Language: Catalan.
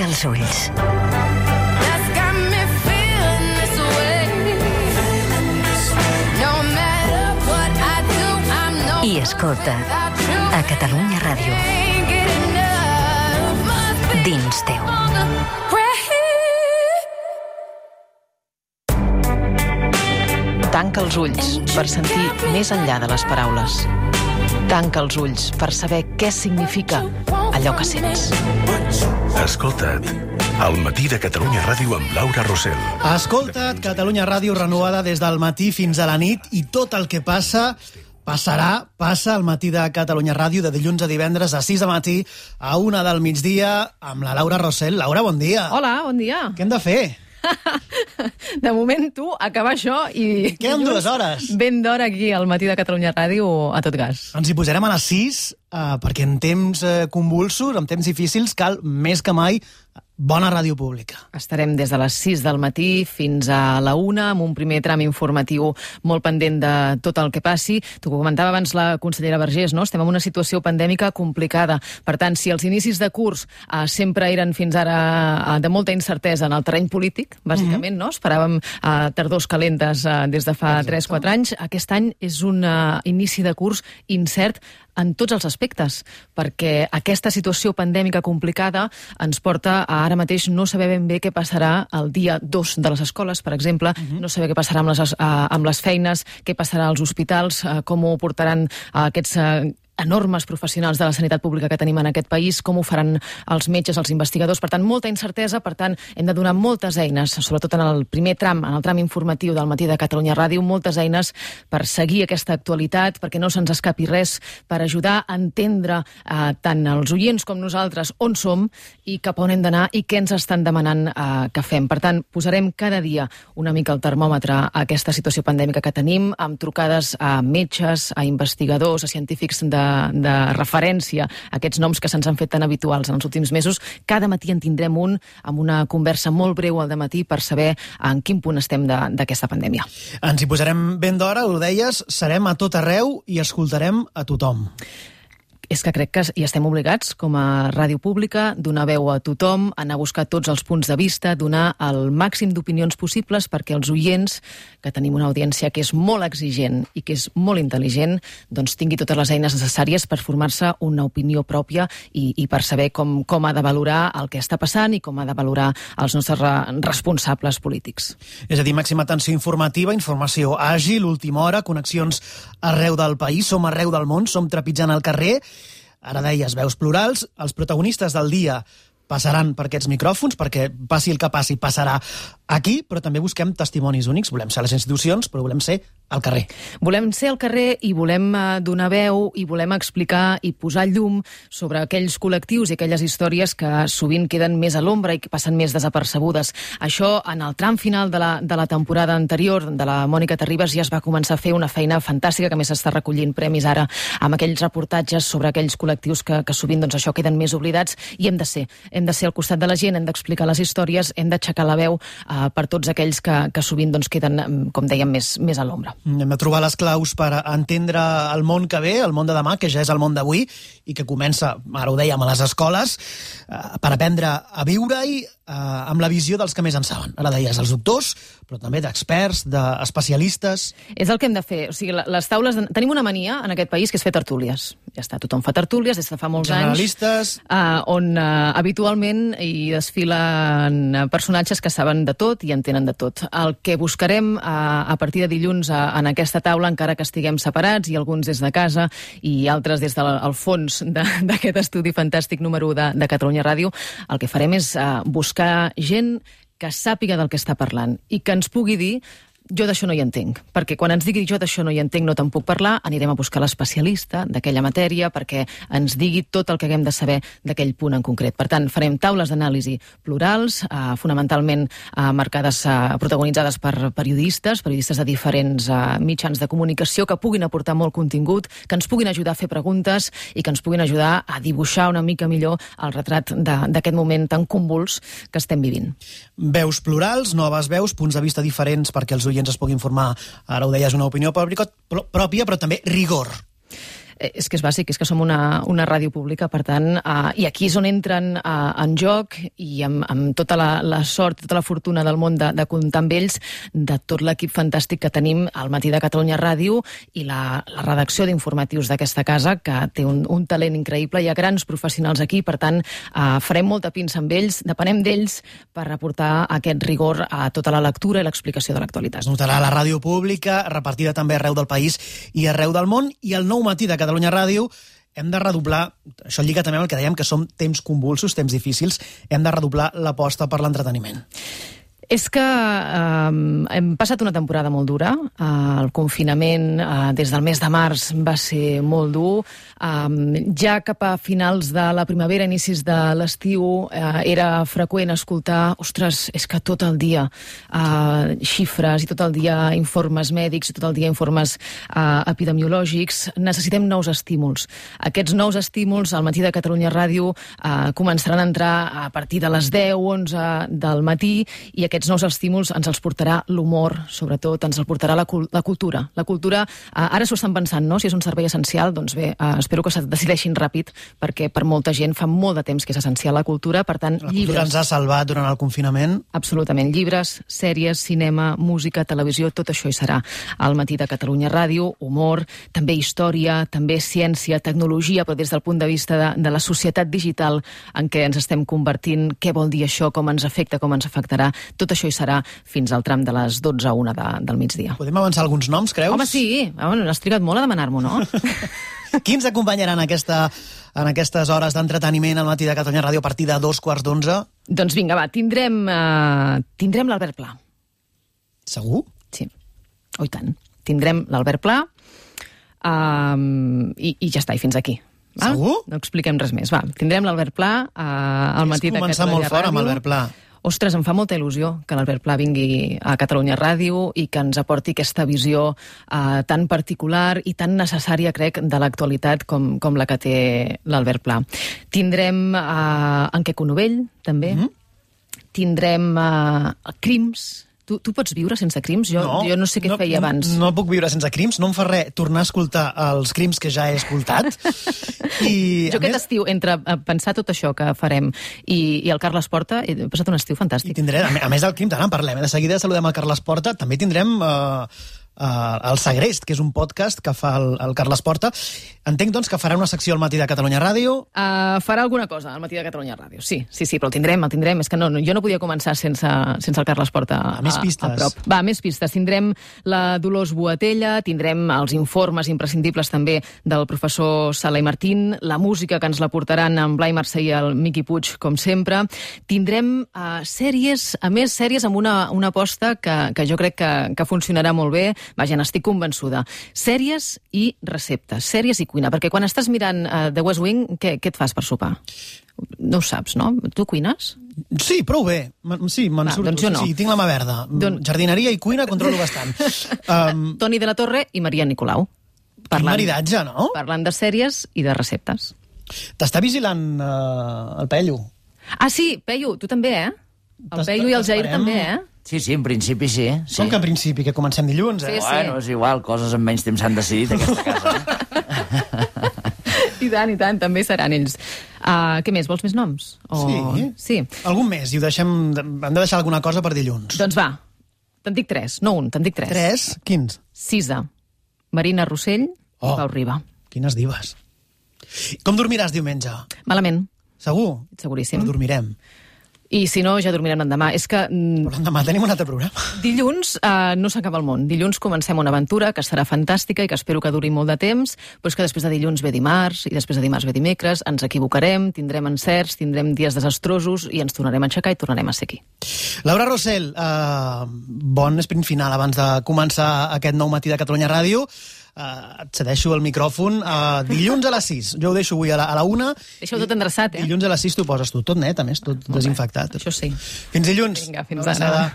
els ulls. I escolta't a Catalunya Ràdio. Dins teu. Tanca els ulls per sentir més enllà de les paraules. Tanca els ulls per saber què significa allò que sents. Escolta't, al matí de Catalunya Ràdio amb Laura Rossell. Escolta't, Catalunya Ràdio renovada des del matí fins a la nit i tot el que passa passa al matí de Catalunya Ràdio de dilluns a divendres a 6 de matí a 1 del migdia amb la Laura Rossell. Laura, bon dia. Hola, bon dia. Què hem de fer? De moment, tu, acabar això i... Queden 2 hores. Ben d'hora aquí al matí de Catalunya Ràdio a tot gas. Ens hi posarem a les 6 perquè en temps convulsos, en temps difícils, cal més que mai bona ràdio pública. Estarem des de les 6 del matí fins a la 1 amb un primer tram informatiu molt pendent de tot el que passi. Tu ho comentava abans la consellera Vergés, no? Estem en una situació pandèmica complicada. Per tant, si els inicis de curs sempre eren fins ara de molta incertesa en el terreny polític, bàsicament, no? Esperàvem tardors calentes des de fa 3-4 anys. Aquest any és un inici de curs incert en tots els aspectes, perquè aquesta situació pandèmica complicada ens porta a ara mateix no saber ben bé què passarà el dia 2 de les escoles, per exemple, no saber què passarà amb les feines, què passarà als hospitals, com ho portaran aquests enormes professionals de la sanitat pública que tenim en aquest país, com ho faran els metges, els investigadors. Per tant, molta incertesa, per tant, hem de donar moltes eines, sobretot en el primer tram, en el tram informatiu del matí de Catalunya Ràdio, moltes eines per seguir aquesta actualitat, perquè no se'ns escapi res, per ajudar a entendre tant els oients com nosaltres on som i cap on hem d'anar i què ens estan demanant que fem. Per tant, posarem cada dia una mica el termòmetre a aquesta situació pandèmica que tenim, amb trucades a metges, a investigadors, a científics de referència a aquests noms que se'ns han fet tan habituals en els últims mesos. Cada matí en tindrem un amb una conversa molt breu al dematí per saber en quin punt estem d'aquesta pandèmia. Ens hi posarem ben d'hora, ho deies, serem a tot arreu i escoltarem a tothom. És que crec que hi estem obligats, com a ràdio pública, donar veu a tothom, anar a buscar tots els punts de vista, donar el màxim d'opinions possibles perquè els oients, que tenim una audiència que és molt exigent i que és molt intel·ligent, doncs tingui totes les eines necessàries per formar-se una opinió pròpia i per saber com ha de valorar el que està passant i com ha de valorar els nostres responsables polítics. És a dir, màxima atenció informativa, informació àgil, última hora, connexions arreu del país, som arreu del món, som trepitjant al carrer. Ara deies, veus plurals, els protagonistes del dia passaran per aquests micròfons, perquè passi el que passi, passarà aquí, però també busquem testimonis únics. Volem ser a les institucions, però volem ser al carrer. Volem ser al carrer i volem donar veu i volem explicar i posar llum sobre aquells col·lectius i aquelles històries que sovint queden més a l'ombra i que passen més desapercebudes. Això, en el tram final de la temporada anterior de la Mònica Terribas, ja es va començar a fer una feina fantàstica, que més està recollint premis ara amb aquells reportatges sobre aquells col·lectius que sovint doncs, això queden més oblidats, i hem de ser al costat de la gent, hem d'explicar les històries, hem d'aixecar la veu per tots aquells que sovint doncs, queden, com dèiem, més a l'ombra. Hem de trobar les claus per entendre el món que ve, el món de demà, que ja és el món d'avui, i que comença, ara ho dèiem, a les escoles, per aprendre a viure-hi amb la visió dels que més en saben. Ara deies, els doctors, però també d'experts, d'especialistes. És el que hem de fer. O sigui, les taules... Tenim una mania en aquest país que és fer tertúlies. Ja està, tothom fa tertúlies des de fa molts Generalistes. anys. On habitualment hi desfilen personatges que saben de tot i entenen de tot. El que buscarem a partir de dilluns en aquesta taula, encara que estiguem separats, i alguns des de casa i altres des del fons d'aquest estudi fantàstic número 1 de Catalunya Ràdio, el que farem és buscar gent que sàpiga del que està parlant i que ens pugui dir jo d'això no hi entenc, perquè quan ens digui jo d'això no hi entenc, no te'n puc parlar, anirem a buscar l'especialista d'aquella matèria perquè ens digui tot el que haguem de saber d'aquell punt en concret. Per tant, farem taules d'anàlisi plurals, fonamentalment marcades, protagonitzades per periodistes de diferents mitjans de comunicació que puguin aportar molt contingut, que ens puguin ajudar a fer preguntes i que ens puguin ajudar a dibuixar una mica millor el retrat d'aquest moment tan convuls que estem vivint. Veus plurals, noves veus, punts de vista diferents perquè els oients es puguin formar, ara ho deies, una opinió pròpia, però també rigor. És que és bàsic, és que som una ràdio pública, per tant, i aquí és on entren en joc, i amb tota la sort, tota la fortuna del món de comptar amb ells, de tot l'equip fantàstic que tenim al Matí de Catalunya Ràdio i la redacció d'informatius d'aquesta casa, que té un talent increïble. Hi ha grans professionals aquí, per tant, farem molta pinça amb ells, depenem d'ells per aportar aquest rigor a tota la lectura i l'explicació de l'actualitat. Es notarà a la ràdio pública, repartida també arreu del país i arreu del món, i el Nou Matí de Catalunya Ràdio hem de redoblar, això lliga també amb el que dèiem, que som temps convulsos, temps difícils, hem de redoblar l'aposta per l'entreteniment. És que hem passat una temporada molt dura. El confinament des del mes de març va ser molt dur. Ja cap a finals de la primavera, inicis de l'estiu, era freqüent escoltar, ostres, és que tot el dia xifres i tot el dia informes mèdics i tot el dia informes epidemiològics. Necessitem nous estímuls. Aquests nous estímuls al Matí de Catalunya Ràdio començaran a entrar a partir de les 10, 11 del matí, i aquests nous estímuls ens els portarà l'humor, sobretot, ens el portarà la cultura. La cultura, ara s'ho estan pensant, no?, si és un servei essencial, doncs bé, espero que se decideixin ràpid, perquè per molta gent fa molt de temps que és essencial la cultura, per tant, la cultura ens ha salvat durant el confinament. Absolutament. Llibres, sèries, cinema, música, televisió, tot això hi serà al Matí de Catalunya Ràdio, humor, també història, també ciència, tecnologia, però des del punt de vista de la societat digital en què ens estem convertint, què vol dir això, com ens afecta, com ens afectarà. Tot això hi serà fins al tram de les 12 a 1 del migdia. Podem avançar alguns noms, creus? Home, sí. Has trigat molt a demanar-m'ho, no? Qui ens acompanyaran en aquestes hores d'entreteniment al Matí de Catalunya Ràdio a partir de 2:15? Doncs vinga, va, tindrem l'Albert Pla. Segur? Sí. Oh, i tant. Tindrem l'Albert Pla i ja està, i fins aquí. Va? Segur? No expliquem res més. Va, tindrem l'Albert Pla al Matí de Catalunya Ràdio. És començar molt fort amb Albert Pla. Ostres, em fa molta il·lusió que l'Albert Pla vingui a Catalunya Ràdio i que ens aporti aquesta visió tan particular i tan necessària, crec, de l'actualitat com la que té l'Albert Pla. Tindrem en Queco Novell, també. Tindrem Crims. Tu pots viure sense Crims? Jo no sé què feia abans. No puc viure sense Crims, no em fa res tornar a escoltar els Crims que ja he escoltat. Jo aquest estiu, entre pensar tot això que farem i el Carles Porta, he passat un estiu fantàstic. I tindré, a més del Crims, ara en parlem, de seguida saludem el Carles Porta, també tindrem el Segrest, que és un podcast que fa el Carles Porta. Entenc, doncs, que farà una secció al Matí de Catalunya Ràdio. Farà alguna cosa al Matí de Catalunya Ràdio, sí, però el tindrem. És que jo no podia començar sense el Carles Porta més pistes. A prop. Va, més pistes. Tindrem la Dolors Boatella, tindrem els informes imprescindibles també del professor Sala i Martín, la música que ens la portaran en Blai Mercè i el Miqui Puig, com sempre. Tindrem sèries amb una aposta que jo crec que funcionarà molt bé. Vaja, n'estic convençuda. Sèries i receptes, sèries i cuina, perquè quan estàs mirant The West Wing, què et fas per sopar? No ho saps, no? Tu cuines? Sí, prou bé. Sí, me'n surto. Doncs jo no. Sí, tinc la mà verda. Jardineria i cuina controlo bastant. Toni de la Torre i Maria Nicolau. Quin maridatge, no? Parlant de sèries i de receptes. T'està vigilant el Pello. Ah, sí, Pello, tu també, eh? El Pello i el Jair també, eh? Sí, en principi sí. Com que en principi, que comencem dilluns, eh? Sí. Bueno, és igual, coses en menys temps s'han decidit a aquesta casa. I tant, també seran ells. Què més, vols més noms? Sí. Algun més, i hem de deixar alguna cosa per dilluns. Doncs va, te'n dic 3, no un, te'n dic 3. 3? Quins? Sisa, Marina Rossell, Pau Riba. Quines divas. Com dormiràs diumenge? Malament. Segur? Seguríssim. Però dormirem. I si no, ja dormirem l'endemà. És que... Però l'endemà tenim un altre programa. Dilluns no s'acaba el món. Dilluns comencem una aventura que serà fantàstica i que espero que duri molt de temps, però és que després de dilluns ve dimarts, i després de dimarts ve dimecres, ens equivocarem, tindrem encerts, tindrem dies desastrosos i ens tornarem a aixecar i tornarem a ser aquí. Laura Rossell, bon sprint final abans de començar aquest nou Matí de Catalunya Ràdio. Et cedeixo el micròfon dilluns a les 6. Jo ho deixo avui a la 1. Deixa-ho tot endreçat, eh? Dilluns a les 6 t'ho poses tu. Tot net, a més, tot desinfectat. Això sí. Fins dilluns. Vinga, fins ara.